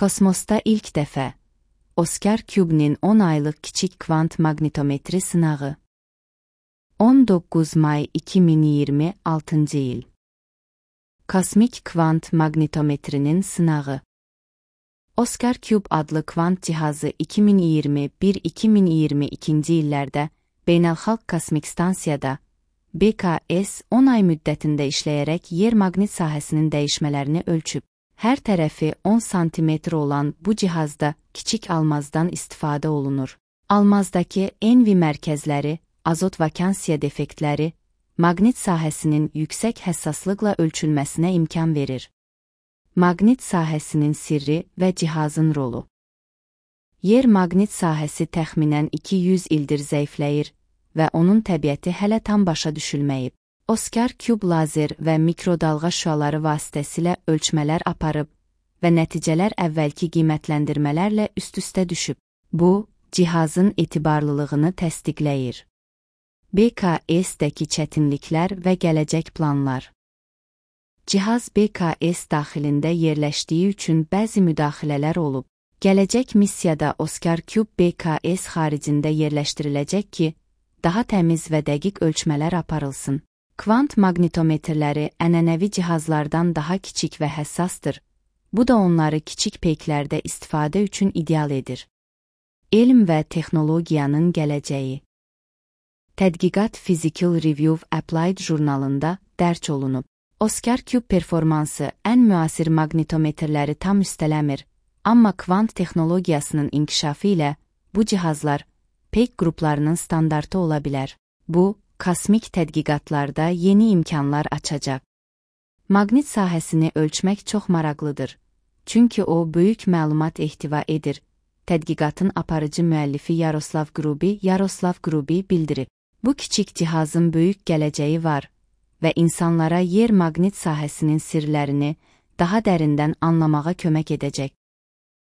Kosmosda ilk dəfə Oskar Kübnin 10 aylıq kiçik kvant maqnitometri sınağı. 19 may 2026 il. Kosmik kvant maqnitometrinin sınağı. Oskar Küb adlı kvant cihazı 2021-2022 illərdə Beynəlxalq Kosmik Stansiyada BKS 10 ay müddətində işləyərək yer maqnit sahəsinin dəyişmələrini ölçüb. Hər tərəfi 10 sm olan bu cihazda kiçik almazdan istifadə olunur. Almazdakı envi mərkəzləri, azot vakansiya defektləri, maqnit sahəsinin yüksək həssaslıqla ölçülməsinə imkan verir. Maqnit sahəsinin sirri və cihazın rolu. Yer maqnit sahəsi təxminən 200 ildir zəifləyir və onun təbiəti hələ tam başa düşülməyib. Oskar Küb lazer və mikrodalğa şüaları vasitəsilə ölçmələr aparıb və nəticələr əvvəlki qiymətləndirmələrlə üst-üstə düşüb. Bu, cihazın etibarlılığını təsdiqləyir. BKS-dəki çətinliklər və gələcək planlar. Cihaz BKS daxilində yerləşdiyi üçün bəzi müdaxilələr olub. Gələcək missiyada Oskar Küb BKS xaricində yerləşdiriləcək ki, daha təmiz və dəqiq ölçmələr aparılsın. Kvant maqnitometrləri ənənəvi cihazlardan daha kiçik və həssasdır. Bu da onları kiçik peyklərdə istifadə üçün ideal edir. Elm və texnologiyanın gələcəyi. Tədqiqat Physical Review Applied jurnalında dərc olunub. Oskar Küb performansı ən müasir maqnitometrləri tam üstələmir, amma kvant texnologiyasının inkişafı ilə bu cihazlar peyk qruplarının standartı ola bilər. Bu, kosmik tədqiqatlarda yeni imkanlar açacaq. Maqnit sahəsini ölçmək çox maraqlıdır, çünki o böyük məlumat ehtiva edir. Tədqiqatın aparıcı müəllifi Yaroslav Grubi bildirib. Bu kiçik cihazın böyük gələcəyi var və insanlara yer maqnit sahəsinin sirlərini daha dərindən anlamağa kömək edəcək.